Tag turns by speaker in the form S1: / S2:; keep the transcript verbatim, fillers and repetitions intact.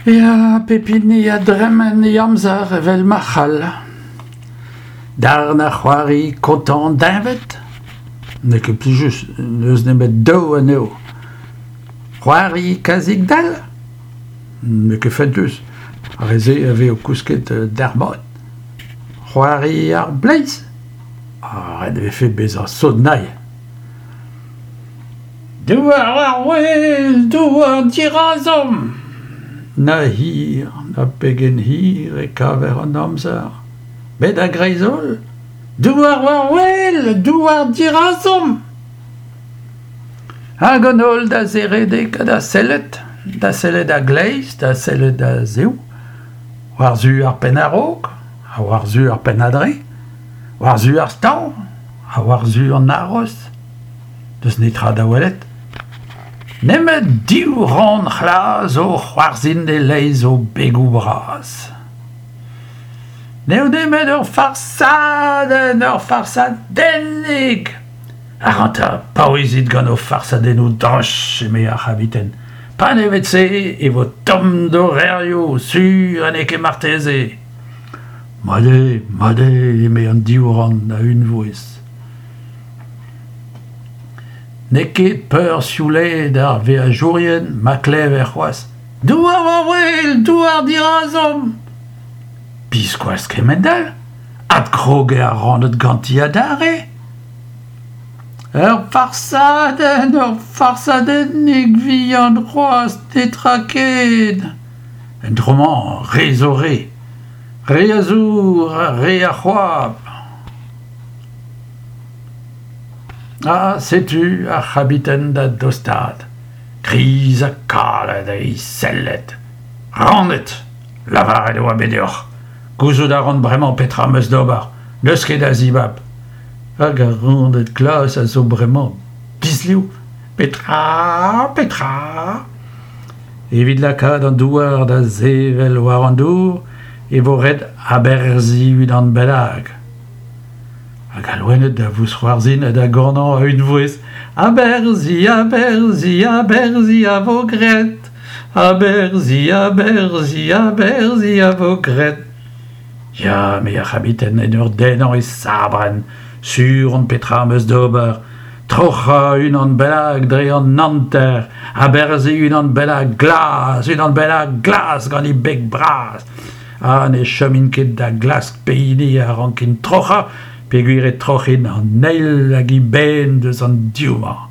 S1: Ya, pep hini a dremen e amzer evel ma c'hall. Darn a c'hoari kontañ deñved. N'eo ket plijus, n'eus nemet daou anezho. C'hoari kazeg dall ? N'eo ket fentus, ar re-se a vez o kousket dalc'hmat. C'hoari ar bleiz ? Ah, ret e vefe bezañ sot-nay. Douar war-wel, douar dirazomp ! Na hir, na pegen hir e kaver an amzer. Met a-greiz-holl, douar war-wel, douar dirazomp ! Hag an holl da zeredek ha da sellet, da sellet a-gleiz, da sellet a-zehou, war-zu ar penn a-raok, ha war-zu ar penn a-dreñv, war-zu ar staoñ, ha war-zu an aros. N'eus netra da welet. Nemet div ran c'hlas o c'hoarzhin e-leizh o begoù bras. N'eo nemet ur farsadenn, ur farsadennig ! Ac'hanta, paouezit gant ho farsadennoù droch, eme ar c'habiten. Panevet-se e vo tomm d'ho revrioù, sur ha n'eo ket marteze. Mat eo, mat eo, eme an div ran a-unvouezh. N'eo ket peursioulaet ar veajourien ma klever c'hoazh Douar war-wel, douar dirazomp ! Biskoazh kement-all ! Adkrog eo ar raned ganti adarre ! Ur farsadenn, ur farsadennig vihan c'hoazh, netra ken ! En dro-mañ, re zo re ! Re a zour ha re a c'hoap ! Ha setu ar c'habiten da dostaat, kriz ha kalet eo e selled. Raned ! Lavaret e oa bet deoc'h. Gouzout a ran bremañ petra am eus d'ober, n'eus ket a zibab. Hag ar raned glas a zo bremañ disliv. Petra ? Petra ? Evit lakaat an douar da sevel war an dour e vo ret aberzhiñ unan bennak. Hag al loened da vousc'hoarzhin ha da ganañ a-unvouezh. Aberzhiñ, aberzhiñ, aberzhiñ a vo graet. Aberzhiñ, aberzhiñ, aberzhiñ a vo graet. Ya, eme ar c'habiten en ur dennañ e sabrenn, sur on petra am eus d'ober. Troc'hañ unan bennak dre an hanter, aberzhiñ unan bennak glas, unan bennak glas gant e beg bras. Ha ne chomin ket da glask pehini a rankin troc'hañ peogwir e troc'hin an eil hag eben eus an div-mañ.